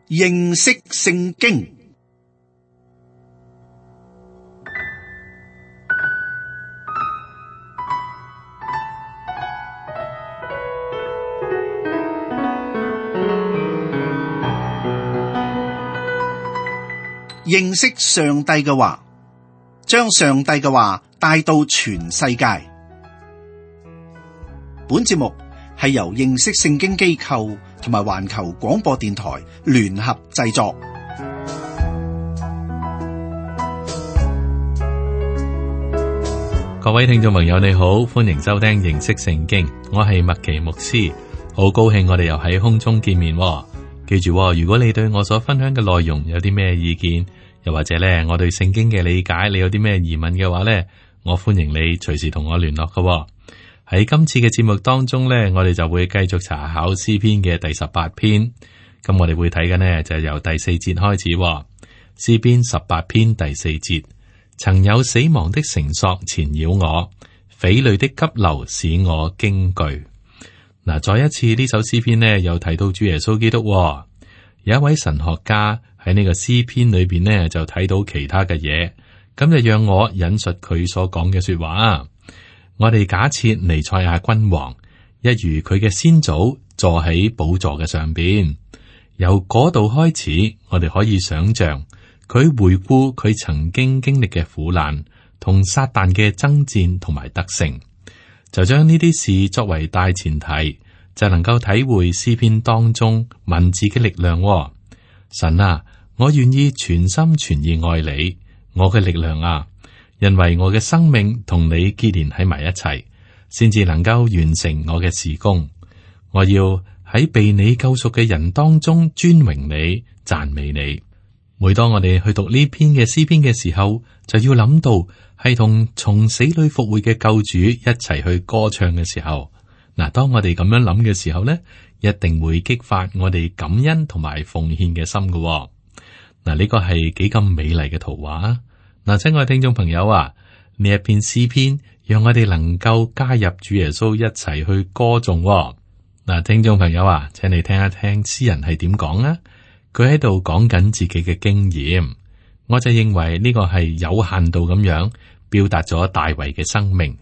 認識聖經。認識上帝嘅話，將上帝嘅話帶到全世界。本節目係由認識聖經機構同埋環球廣播電台聯合製作。各位聽眾朋友你好，歡迎收聽認識聖經，我係麥奇牧師，好高興我哋又喺空中見面。記住，如果你對我所分享嘅內容有啲咩意見，又或者咧我對聖經嘅理解，你有啲咩疑問嘅話咧，我歡迎你隨時同我聯絡嘅。喺今次嘅節目當中咧，我哋就會繼續查考詩篇嘅第18篇。咁我哋會睇嘅呢，就由第4節開始。詩篇18篇第4節，曾有死亡的繩索纏繞我，匪類的急流使我驚懼。嗱，再一次呢首詩篇呢，又提到主耶穌基督。有一位神學家喺呢個詩篇裏邊呢，就睇到其他嘅嘢，咁就讓我引述佢所講嘅說話。我哋假設彌賽亞君王一如佢嘅先祖坐喺寶座嘅上邊，由嗰度開始，我哋可以想象佢回顧佢曾經經歷嘅苦難同撒旦嘅爭戰同埋得勝。就將呢啲事作為大前提，就能夠體會詩篇當中文字嘅力量。神啊，我願意全心全意愛你，我嘅力量啊，因為我嘅生命同你結連喺埋一齊，先至能夠完成我嘅事工。我要喺被你救贖嘅人當中尊榮你、讚美你。每當我哋去讀呢篇嘅詩篇嘅時候，就要諗到係同從死裏復活嘅救主一齊去歌唱嘅時候。嗱，當我哋咁樣諗嘅時候呢，一定會激發我哋感恩同埋奉獻嘅心嘅。嗱，呢個係幾咁美麗嘅圖畫。嗱，親愛聽眾朋友啊，呢一篇詩篇讓我哋能夠加入主耶穌一齊去歌頌。嗱，聽眾朋友啊，請你聽一聽詩人係點講啊。佢喺度講緊自己嘅經驗，我就認為呢個係有限度咁樣表達咗大衛嘅生命，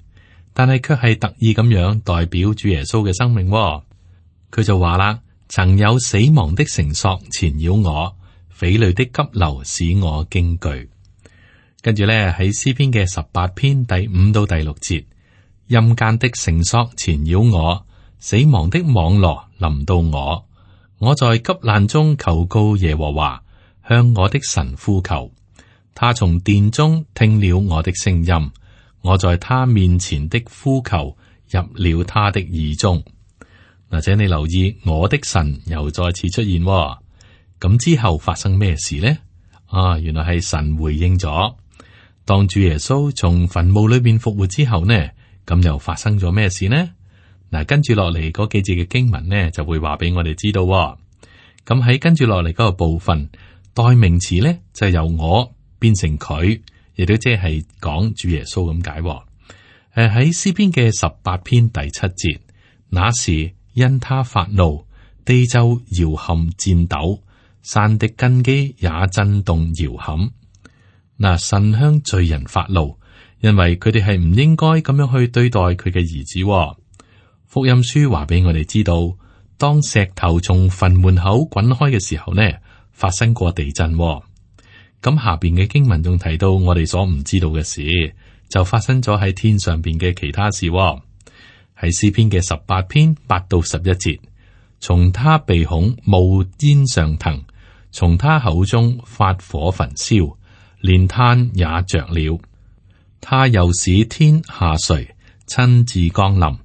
但係卻係特意咁樣代表主耶穌嘅生命。佢就話啦，曾有死亡的繩索纏繞我，匪類的急流使我驚懼。跟住咧喺詩篇嘅18篇第5到第6節，陰間的繩索纏繞我，死亡的網羅臨到我。我在急難中求告耶和華，向我的神呼求。他從殿中聽了我的聲音，我在他面前的呼求入了他的耳中。嗱，請你留意，我的神又再次出現。咁之後發生咩事呢？原來係神回應咗。當主耶穌從墳墓裏面復活之後呢，咁又發生咗咩事呢？嗱，跟住落嚟嗰幾節嘅經文呢，就會話俾我哋知道。咁喺跟住落嚟嗰個部分，代名詞呢，就由我變成佢，亦都即係講主耶穌咁解。喺詩篇嘅18篇第7節，那時因他發怒，地就搖撼顫抖，山的根基也震動搖撼。嗱，神向罪人發怒，因為佢哋係唔應該咁樣去對待佢嘅兒子。福音書話俾我哋知道，當石頭從墳門口滾開嘅時候呢，發生過地震。咁下邊嘅經文仲提到我哋所唔知道嘅事，就發生咗喺天上邊嘅其他事。喺詩篇嘅18篇8到11節，從他鼻孔冒煙上騰，從他口中發火焚燒，連炭也着了。他又使天下垂，親自降臨。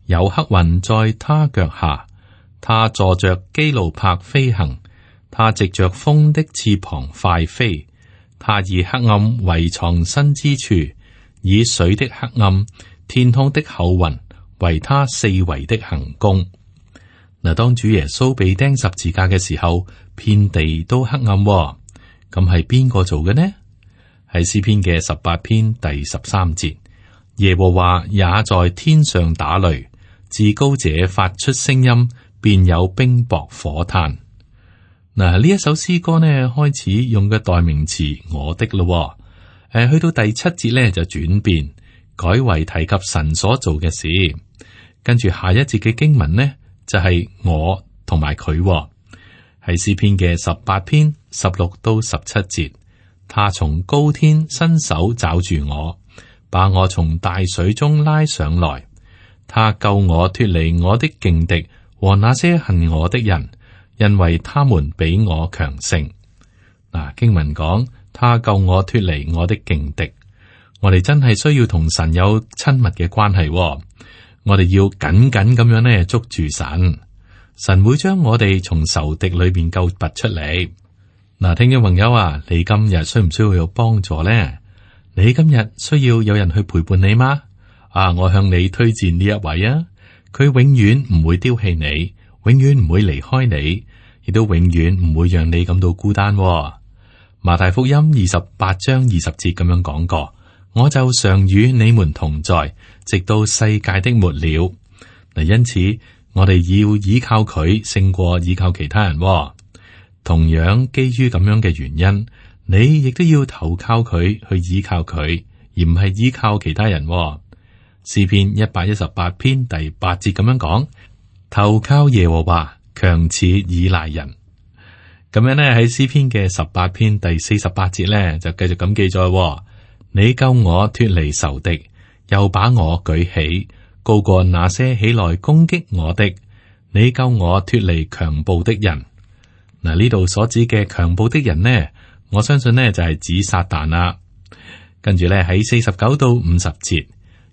有黑雲在他腳下，他坐着基路伯飛行，他藉着風的翅膀快飛，他以黑暗為藏身之處，以水的黑暗、天空的厚雲為他四圍的行宮。嗱，當主耶穌被釘十字架嘅時候，遍地都黑暗。咁係邊個做嘅呢？係詩篇嘅18篇第13節，耶和華也在天上打雷。至高者發出聲音，便有冰雹火炭。嗱，呢一首詩歌呢，開始用嘅代名詞我的咯，去到第7節呢就轉變，改為提及神所做嘅事。跟住下一節嘅經文呢，就係我同埋佢，係詩篇嘅18篇16到17節。他從高天伸手抓住我，把我從大水中拉上來。他救我脫離我的勁敵和那些恨我的人，因為他們比我強盛。嗱，經文講，他救我脫離我的勁敵。我哋真係需要同神有親密嘅關係，我哋要緊緊咁樣呢捉住神，神會將我哋從仇敵裏邊救拔出嚟。嗱，聽眾朋友啊，你今日需唔需要有幫助呢？你今日需要有人去陪伴你嗎？我向你推薦呢一位啊，佢永遠唔會丟棄你，永遠唔會離開你，亦都永遠唔會讓你感到孤單。馬太福音28章20節咁樣講過，我就常與你們同在，直到世界的末了。嗱，因此我哋要依靠佢勝過依靠其他人。同樣基於咁樣嘅原因，你亦都要投靠佢，去依靠佢，而唔係依靠其他人。詩篇118篇第8節咁樣講：投靠耶和華，強似倚賴人。咁樣呢，喺詩篇嘅18篇第48節呢，就繼續咁記載：你救我脫離仇敵，又把我舉起，高過那些起來攻擊我的。你救我脫離強暴的人。嗱，呢度所指嘅強暴的人呢，我相信呢就係指撒旦啦。跟住咧喺49到50節，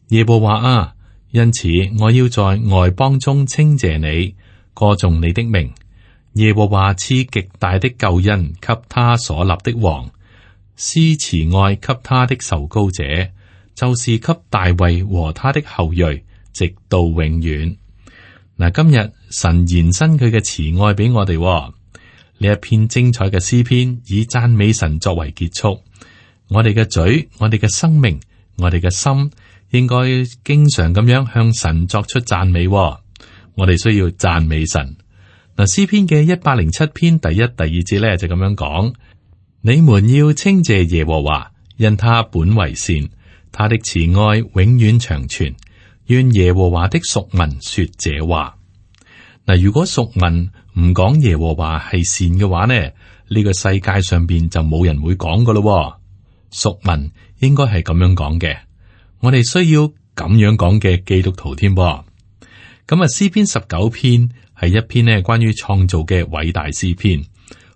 耶和華啊，因此我要在外邦中稱謝你，歌頌你的名。耶和華賜極大的救恩給他所立的王，施慈愛給他的受膏者，就是給大衛和他的後裔，直到永遠。嗱，今日神延伸佢嘅慈愛俾我哋。呢一篇精彩嘅詩篇以讚美神作為結束。我哋嘅嘴、我哋嘅生命、我哋嘅心，應該經常咁樣向神作出讚美。我哋需要讚美神。嗱，詩篇嘅107篇第1、第2節咧就咁樣講：你們要稱謝耶和華，因他本為善，他的慈愛永遠長存。願耶和華的屬民說這話。嗱，如果屬民唔講耶和華係善嘅話呢，呢個世界上邊就冇人會講噶咯。屬民應該係咁樣講嘅，我哋需要咁樣講嘅基督徒添。咁啊，詩篇19篇係一篇呢關於創造嘅偉大詩篇，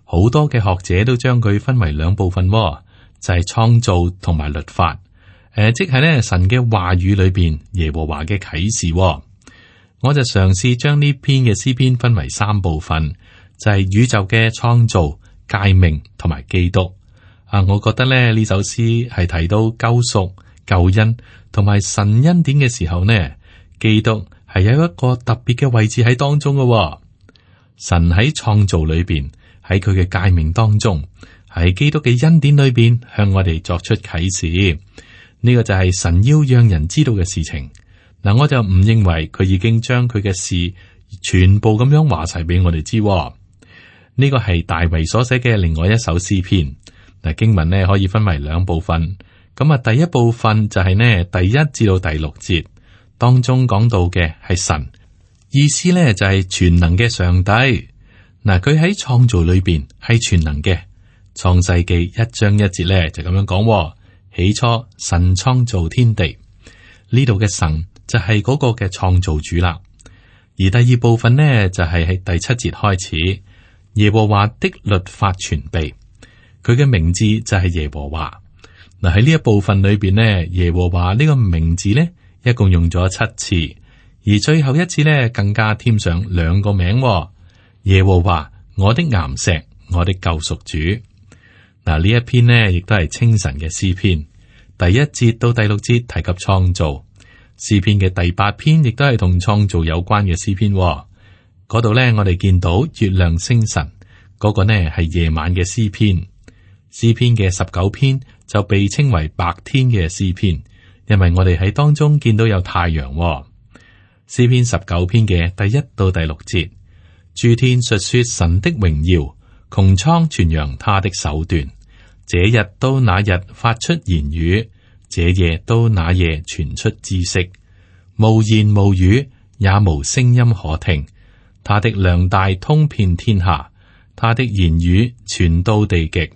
好多嘅學者都將佢分為兩部分，就係創造同埋律法。即係呢神嘅話語裏邊耶和華嘅啟示。我就嘗試將呢篇嘅詩篇分為3部分，就係宇宙嘅創造、誡命同埋基督。我覺得咧呢首詩係提到救贖、救恩同埋神恩典嘅時候呢，基督係有一個特別嘅位置喺當中嘅。神喺創造裏邊，喺佢嘅誡命當中，喺基督嘅恩典裏邊向我哋作出啟示。呢個就係神要讓人知道嘅事情。嗱，我就唔認為佢已經將佢嘅事全部咁樣話晒俾我哋知。呢個係大衛所寫嘅另外一首詩篇。嗱，經文呢可以分為2部分。咁啊，第一部分就係呢第1至到第6節當中講到嘅係神，意思呢就係全能嘅上帝。嗱，佢喺創造裏邊係全能嘅。創世記1章1節呢就咁樣講：起初神創造天地。呢度嘅神就係嗰個嘅創造主啦。而第2部分呢，就係喺第7節開始，耶和華的律法全備，佢嘅名字就係耶和華。嗱，喺呢一部分裏邊呢，耶和華呢個名字呢，一共用咗7次，而最後一次呢，更加添上2個名，耶和華我的岩石，我的救贖主。嗱，呢一篇呢，亦都係清晨嘅詩篇，第1節到第6節提及創造。詩篇嘅第8篇亦都係同創造有關嘅詩篇。嗰度呢，我哋見到月亮星辰，嗰個呢係夜晚嘅詩篇。詩篇嘅19篇就被稱為白天嘅詩篇，因為我哋喺當中見到有太陽。詩篇19篇嘅第1到第6節，諸天述說神的榮耀，穹蒼傳揚他的手段。這日到那日發出言語，這夜到那夜傳出知識。無言無語，也無聲音可聽。他的量大通遍天下，他的言語傳到地極。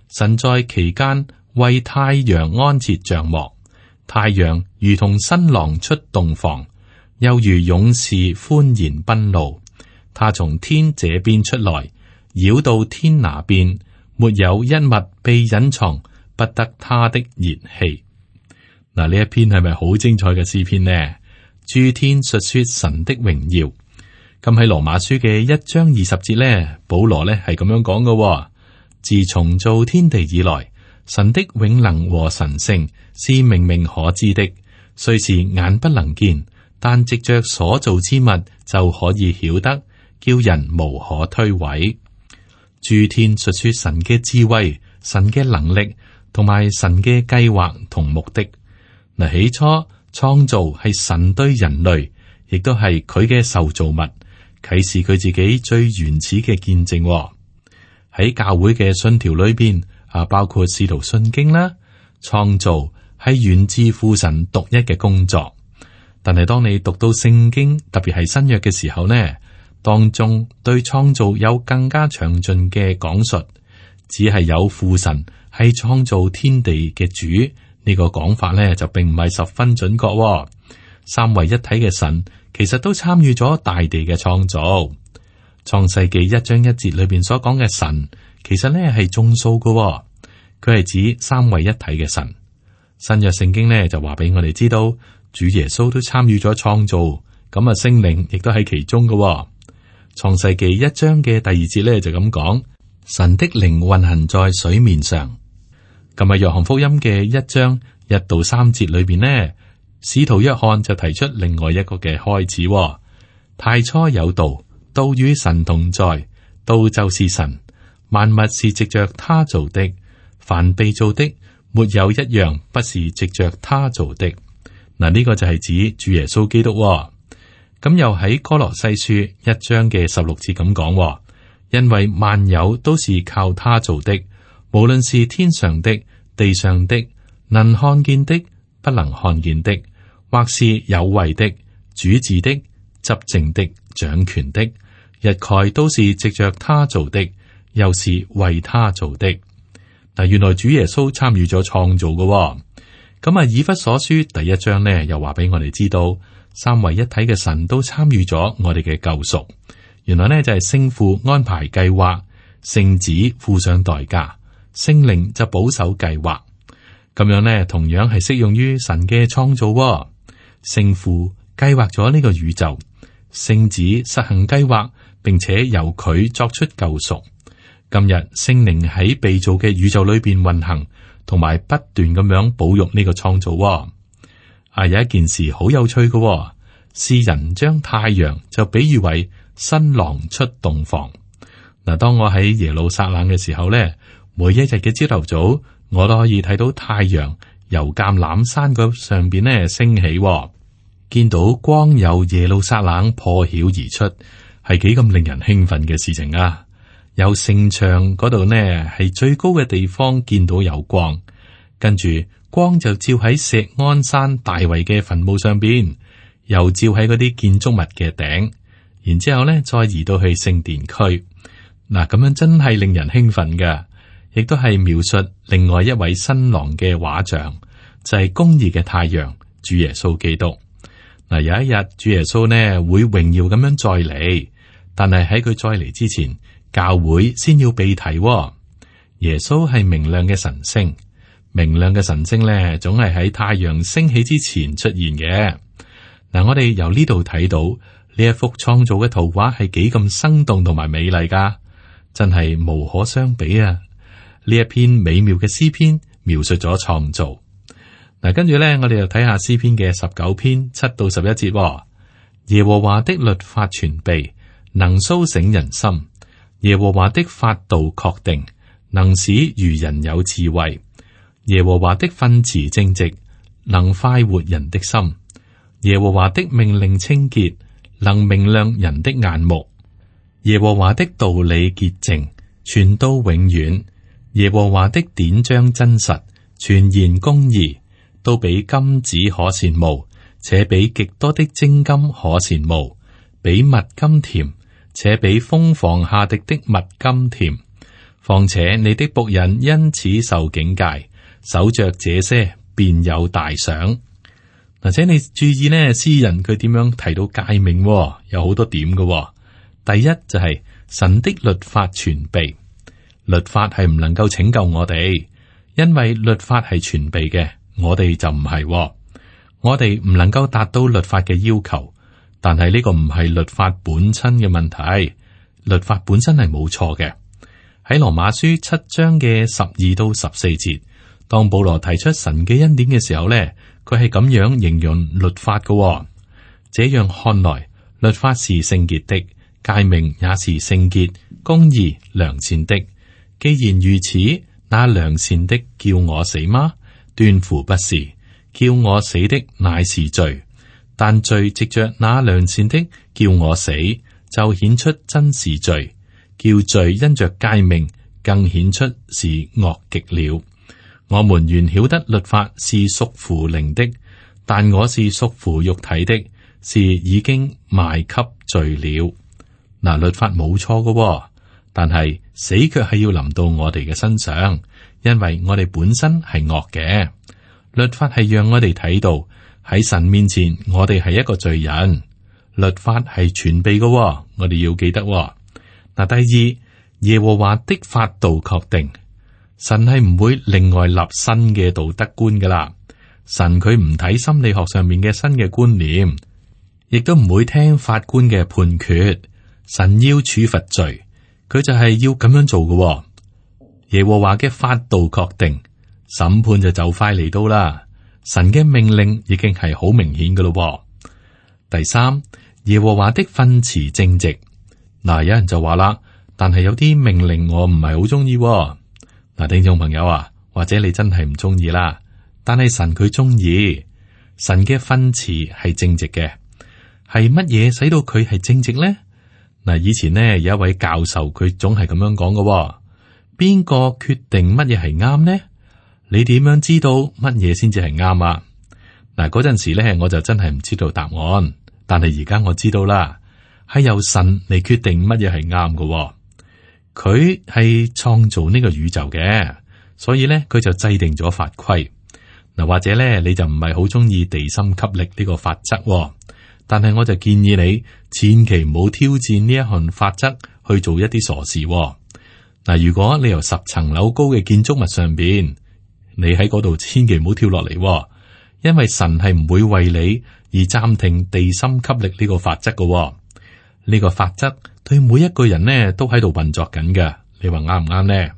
神在其間為太陽安設帳幕，太陽如同新郎出洞房，又如勇士歡然奔路。他從天這邊出來，繞到天那邊。沒有一物被隱藏，不得他的熱氣。嗱，呢一篇係咪好精彩嘅詩篇呢？諸天述說神的榮耀。咁喺羅馬書嘅1章20節呢，保羅呢係咁樣講嘅：自從造天地以來，神的永能和神性是明明可知的，雖是眼不能見，但藉着所造之物就可以曉得，叫人無可推諉。諸天述說神嘅智慧、神嘅能力同埋神嘅計劃同目的。嗱，起初創造係神對人類，亦都係佢嘅受造物，啟示佢自己最原始嘅見證。喺教會嘅信條裏邊包括使徒信經啦，創造係源自父神獨一嘅工作。但係當你讀到聖經，特別係新約嘅時候呢，當中對創造有更加詳盡嘅講述，只係有父神係創造天地嘅主，呢個講法呢就並唔係十分準確。三位一體嘅神其實都參與咗大地嘅創造。創世記1章1節裏邊所講嘅神，其實呢係眾數嘅，佢係指三位一體嘅神。新約聖經呢就話俾我哋知道，主耶穌都參與咗創造，咁聖靈亦都喺其中嘅。創世記1章嘅第2節咧就咁講，神的靈運行在水面上。咁啊，約翰福音嘅1章1到3節裏邊呢，使徒約翰就提出另外一個嘅開始。太初有道，道與神同在，道就是神，萬物是藉着他造的，凡被造的沒有一樣不是藉着他造的。嗱，呢個就係指主耶穌基督。咁又喺哥羅西書1章嘅16節咁講，因為萬有都是靠他做的，無論是天上的、地上的，能看見的、不能看見的，或是有位的、主治的、執政的、掌權的，一概都是藉着他做的，又是為他做的。嗱，原來主耶穌參與咗創造嘅。咁啊，以弗所書第1章呢，又話俾我哋知道，三位一體嘅神都參與咗我哋嘅救贖。原來呢就係聖父安排計劃，聖子付上代價，聖靈就保守計劃。咁樣呢，同樣係適用於神嘅創造。聖父計劃咗呢個宇宙，聖子實行計劃，並且由佢作出救贖。今日聖靈喺被造嘅宇宙裏邊運行，同埋不斷咁樣保育呢個創造。有一件事好有趣嘅，詩人將太陽就比喻為新郎出洞房。嗱，當我喺耶路撒冷嘅時候咧，每一日嘅朝頭早，我都可以睇到太陽由橄欖山嗰上邊咧升起，見到光由耶路撒冷破曉而出，係幾咁令人興奮嘅事情啊！由城牆嗰度呢，係最高嘅地方見到有光，跟住光就照喺錫安山大衛嘅墳墓上邊，又照喺嗰啲建築物嘅頂，然之後呢再移到去聖殿區。嗱，咁樣真係令人興奮嘅，亦都係描述另外一位新郎嘅畫像，就係公義嘅太陽主耶穌基督。嗱，有一日主耶穌呢會榮耀咁樣再嚟，但係喺佢再嚟之前，教會先要被提。耶穌係明亮嘅晨星，明亮嘅晨星咧，總係喺太陽升起之前出現嘅。嗱，我哋由呢度睇到呢一幅創造嘅圖畫係幾咁生動同埋美麗噶，真係無可相比啊！呢一篇美妙嘅詩篇描述咗創造。嗱，跟住咧，我哋又睇下詩篇嘅19篇7到11節。耶和華的律法全備，能蘇醒人心。耶和華的法度確定，能使愚人有智慧。耶和華的訓詞正直，能快活人的心。耶和華的命令清潔，能明亮人的眼目。耶和華的道理潔淨，傳到永遠。耶和華的典章真實，全然公義，都比金子可羨慕，且比極多的精金可羨慕，比蜜甘甜，且比蜂房下滴的蜜甘甜。況且你的僕人因此受警戒，守着這些便有大賞。嗱，請你注意呢，詩人佢點樣提到誡命，有好多點嘅。第一就係神的律法全備，律法係唔能夠拯救我哋，因為律法係全備嘅，我哋就唔係。我哋唔能夠達到律法嘅要求，但係呢個唔係律法本身嘅問題，律法本身係冇錯嘅。喺羅馬書7章嘅12到14節，當保羅提出神嘅恩典嘅時候呢，佢係咁樣形容律法嘅。這樣看來，律法是聖潔的，誡命也是聖潔、公義、良善的。既然如此，那良善的叫我死嗎？斷乎不是，叫我死的乃是罪。但罪藉着那良善的叫我死，就顯出真是罪。叫罪因着誡命更顯出是惡極了。我們原曉得律法是屬乎靈的，但我是屬乎肉體的，是已經賣給罪了。嗱，律法冇錯嘅，但係死卻係要臨到我哋嘅身上，因為我哋本身係惡嘅。律法係讓我哋睇到喺神面前，我哋係一個罪人。律法係全備嘅，我哋要記得。嗱，第二，耶和華的法度確定，神係唔會另外立新嘅道德觀噶啦。神佢唔睇心理學上面嘅新嘅觀念，亦都唔會聽法官嘅判決。神要處罰罪，佢就係要咁樣做嘅。耶和華嘅法度確定，審判就快嚟到啦。神嘅命令已經係好明顯噶咯。第三，耶和華的訓詞正直。嗱，有人就話啦，但係有啲命令我唔係好中意。嗱，聽眾朋友啊，或者你真係唔中意啦，但係神佢中意。神嘅訓詞係正直嘅，係乜嘢使到佢係正直呢？嗱，以前呢有一位教授，佢總係咁樣講嘅。邊個決定乜嘢係啱呢？你點樣知道乜嘢先至係啱啊？嗱，嗰陣時咧，我就真係唔知道答案，但係而家我知道啦。係由神嚟決定乜嘢係啱嘅，佢係創造呢個宇宙嘅，所以咧佢就制定咗法規。嗱，或者咧你就唔係好中意地心吸力呢個法則，但係我就建議你千祈唔好挑戰呢一項法則去做一啲傻事。嗱，如果你由10層樓高嘅建築物上邊，你喺嗰度千祈唔好跳落嚟，因為神係唔會為你而暫停地心吸力呢個法則嘅。呢個法則對每一個人呢都喺度運作緊嘅，你話啱唔啱呢？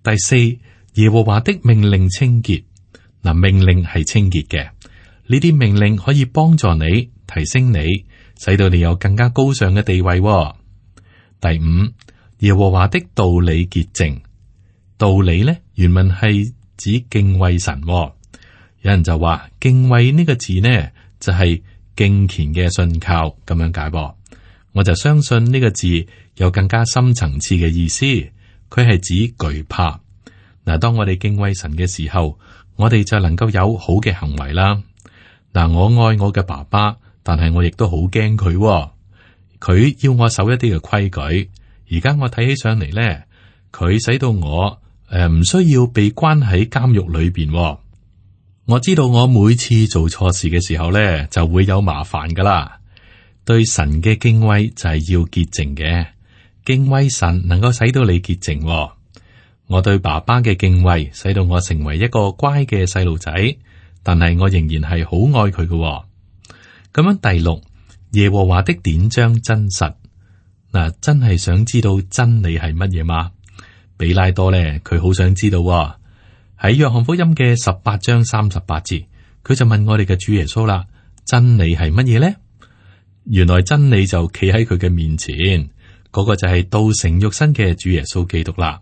第四，耶和華的命令清潔。嗱，命令係清潔嘅，呢啲命令可以幫助你提升你，使到你有更加高尚嘅地位。第五，耶和華的道理潔淨。道理呢原文係指敬畏神。有人就話敬畏呢個字呢就係敬虔嘅信靠咁樣解噃。我就相信呢個字有更加深層次嘅意思，佢係指懼怕。嗱，當我哋敬畏神嘅時候，我哋就能夠有好嘅行為啦。嗱，我愛我嘅爸爸，但係我亦都好驚佢。佢要我守一啲嘅規矩，而家我睇起上嚟咧，佢使到我唔需要被關喺監獄裏邊。我知道我每次做錯事嘅時候咧，就會有麻煩噶啦。對神嘅敬畏就係要潔淨嘅，敬畏神能夠使到你潔淨。我對爸爸嘅敬畏使到我成為一個乖嘅細路仔，但係我仍然係好愛佢嘅。咁樣第六，耶和華的典章真實。嗱，真係想知道真理係乜嘢嗎？比拉多咧，佢好想知道。喺約翰福音嘅18章38節，佢就問我哋嘅主耶穌啦：真理係乜嘢咧？原來真理就企喺佢嘅面前，嗰個就係道成肉身嘅主耶穌基督啦。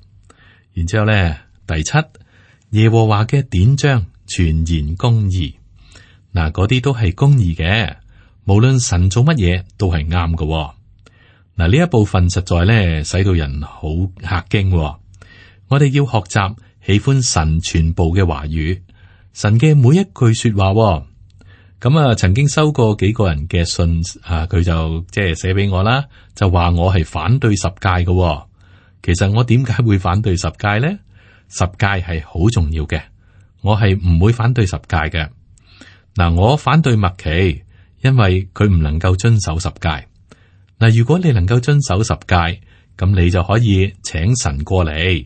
然之後咧，第七，耶和華嘅典章全然公義。嗱，嗰啲都係公義嘅，無論神做乜嘢都係啱嘅。嗱，呢一部分實在咧使到人好嚇驚。我哋要學習喜歡神全部嘅話語，神嘅每一句說話。咁啊，曾經收過幾個人嘅信啊，佢就即係寫俾我啦，就話我係反對十誡嘅。其實我點解會反對十誡呢？十誡係好重要嘅，我係唔會反對十誡嘅。嗱，我反對麥奇，因為佢唔能夠遵守十誡。嗱，如果你能夠遵守十誡，咁你就可以請神過嚟，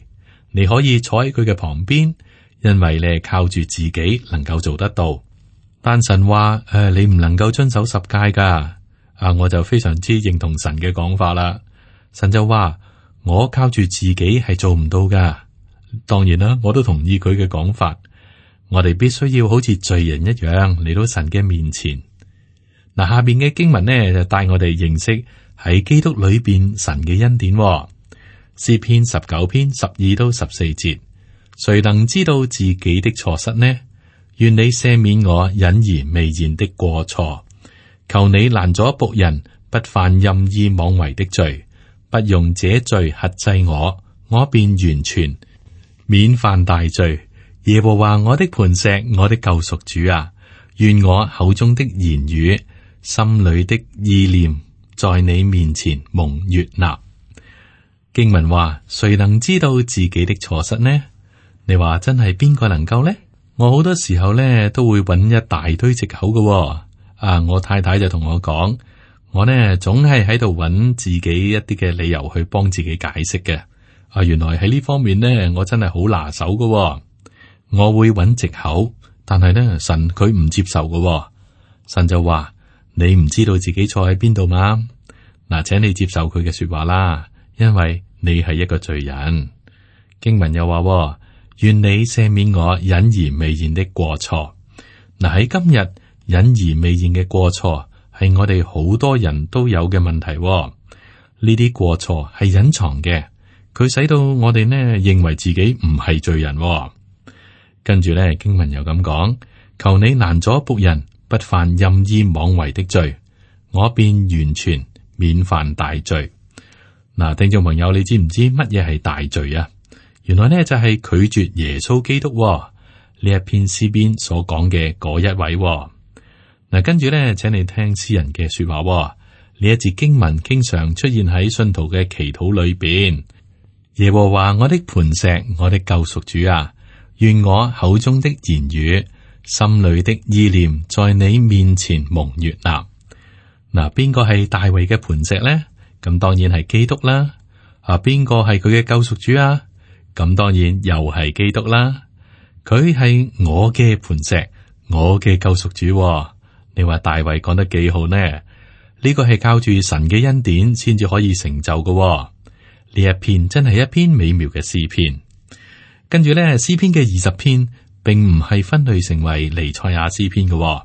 你可以坐喺佢嘅旁邊，因為你係靠住自己能夠做得到。但神話你唔能夠遵守十誡噶，我就非常之認同神嘅講法啦。神就話我靠住自己係做唔到噶。當然啦，我都同意佢嘅講法。我哋必須要好似罪人一樣嚟到神嘅面前。嗱，下邊嘅經文呢就帶我哋認識喺基督裏邊神嘅恩典。詩篇19篇12到14節，誰能知道自己的錯失呢？願你赦免我隱而未現的過錯，求你攔阻僕人不犯任意妄為的罪，不用這罪轄制我，我便完全免犯大罪。耶和華我的磐石，我的救贖主啊，願我口中的言語、心裏的意念，在你面前蒙悅納。經文話：誰能知道自己的錯失呢？你話真係邊個能夠呢？我好多時候咧都會揾一大堆藉口嘅。我太太就同我講，我呢總係喺度揾自己一啲嘅理由去幫自己解釋嘅。原來喺呢方面呢，我真係好拿手嘅。我會揾藉口，但係呢，神佢唔接受嘅。神就話：你唔知道自己錯喺邊度嘛？嗱，請你接受佢嘅說話啦，因為你係一個罪人。經文又話：願你赦免我隱而未現的過錯。嗱，喺今日隱而未現嘅過錯係我哋好多人都有嘅問題。呢啲過錯係隱藏嘅，佢使到我哋呢認為自己唔係罪人。跟住咧，經文又咁講：求你攔阻僕人不犯任意妄為的罪，我便完全免犯大罪。嗱，聽眾朋友，你知唔知乜嘢係大罪啊？原來呢就係拒絕耶穌基督呢一篇詩篇所講嘅嗰一位。嗱，跟住咧，請你聽詩人嘅說話。呢一節經文經常出現喺信徒嘅祈禱裏邊。耶和華我的磐石，我的救贖主啊，願我口中的言語、心裏的意念，在你面前蒙悅納。嗱，邊個係大衛嘅磐石呢？咁當然係基督啦。邊個係佢嘅救贖主啊？咁當然又係基督啦。佢係我嘅磐石，我嘅救贖主。你話大衛講得幾好呢？呢個係靠住神嘅恩典先至可以成就嘅。呢一篇真係一篇美妙嘅詩篇。跟住咧，詩篇嘅20篇並唔係分類成為彌賽亞詩篇嘅，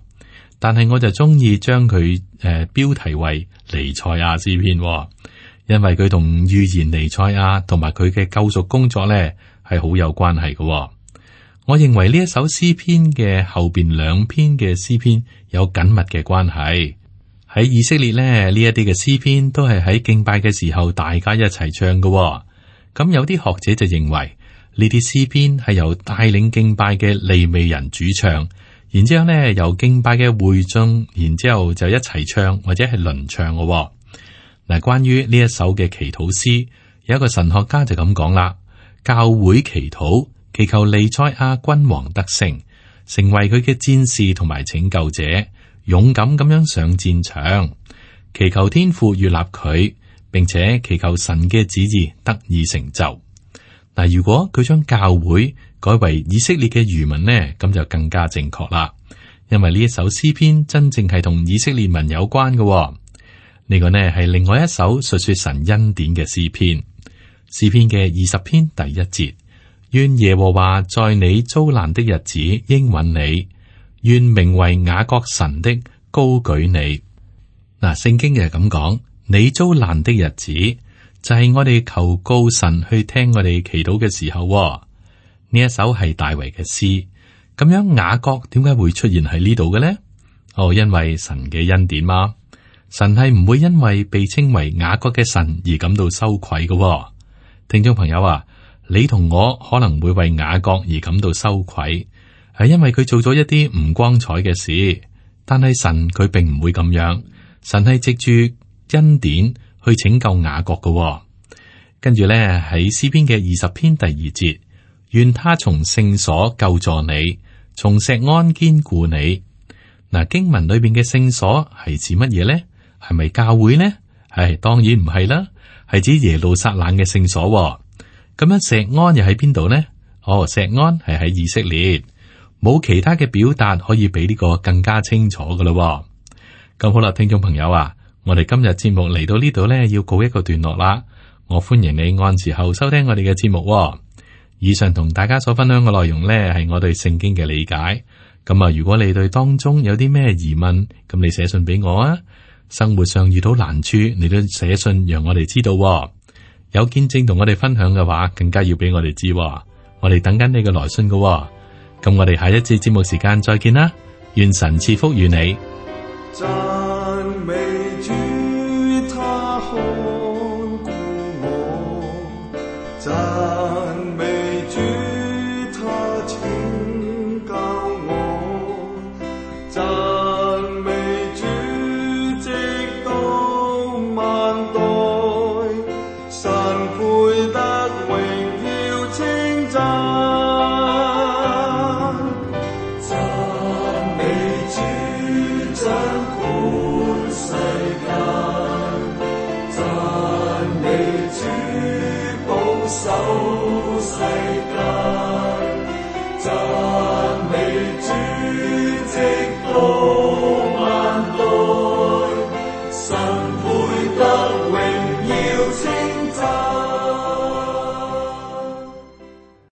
但係我就中意將佢標題為彌賽亞詩篇，因為佢同預言彌賽亞同埋佢嘅救贖工作咧係好有關係嘅。我認為呢一首詩篇嘅後邊2篇嘅詩篇有緊密嘅關係。喺以色列咧，呢一啲嘅詩篇都係喺敬拜嘅時候大家一齊唱嘅。咁有啲學者就認為呢啲詩篇係由帶領敬拜嘅利未人主唱，然之後咧由敬拜嘅會眾，然之後就一齊唱或者係輪唱嘅。嗱，關於呢一首嘅祈禱詩，有一個神學家就咁講啦：教會祈禱，祈求彌賽亞君王得勝，成為佢嘅戰士同埋拯救者，勇敢咁樣上戰場，祈求天父悅納佢，並且祈求神嘅旨意得以成就。嗱，如果佢將教會改為以色列嘅餘民呢，咁就更加正確啦。因為呢一首詩篇真正係同以色列民有關嘅。呢個呢係另外一首述說神恩典嘅詩篇。詩篇嘅20篇第1節：願耶和華在你遭難的日子應允你，願名為雅各神的高舉你。嗱，聖經就係咁講，你遭難的日子就係我哋求告神去聽我哋祈禱嘅時候。呢一首係大衛嘅詩，咁樣雅各點解會出現喺呢度嘅呢？因為神嘅恩典嘛。神係唔會因為被稱為雅各嘅神而感到羞愧嘅。聽眾朋友啊，你同我可能會為雅各而感到羞愧，係因為佢做咗一啲唔光彩嘅事。但係神佢並唔會咁樣，神係藉住恩典去拯救雅各嘅。跟住咧喺詩篇嘅20篇第2節，願他從聖所救助你，從錫安堅固你。嗱，經文裏邊嘅聖所係指乜嘢咧？係咪教會呢？係當然唔係啦，係指耶路撒冷嘅聖所。咁樣錫安又喺邊度呢？哦，錫安係喺以色列，冇其他嘅表達可以比呢個更加清楚噶啦。咁好啦，聽眾朋友啊，我哋今日節目嚟到呢度呢，要告一個段落啦。我歡迎你按時候收聽我哋嘅節目。以上同大家所分享嘅內容呢，係我對聖經嘅理解。咁啊，如果你對當中有啲咩疑問，咁你寫信俾我啊。生活上遇到難處，你都寫信讓我哋知道。有見證同我哋分享嘅話，更加要俾我哋知。我哋等緊你嘅來信嘅。咁我哋下一次節目時間再見啦。願神賜福與你。讚美主，他看顧我；讚美主，他拯救我；讚美主，直到萬代，神配得榮耀稱讚。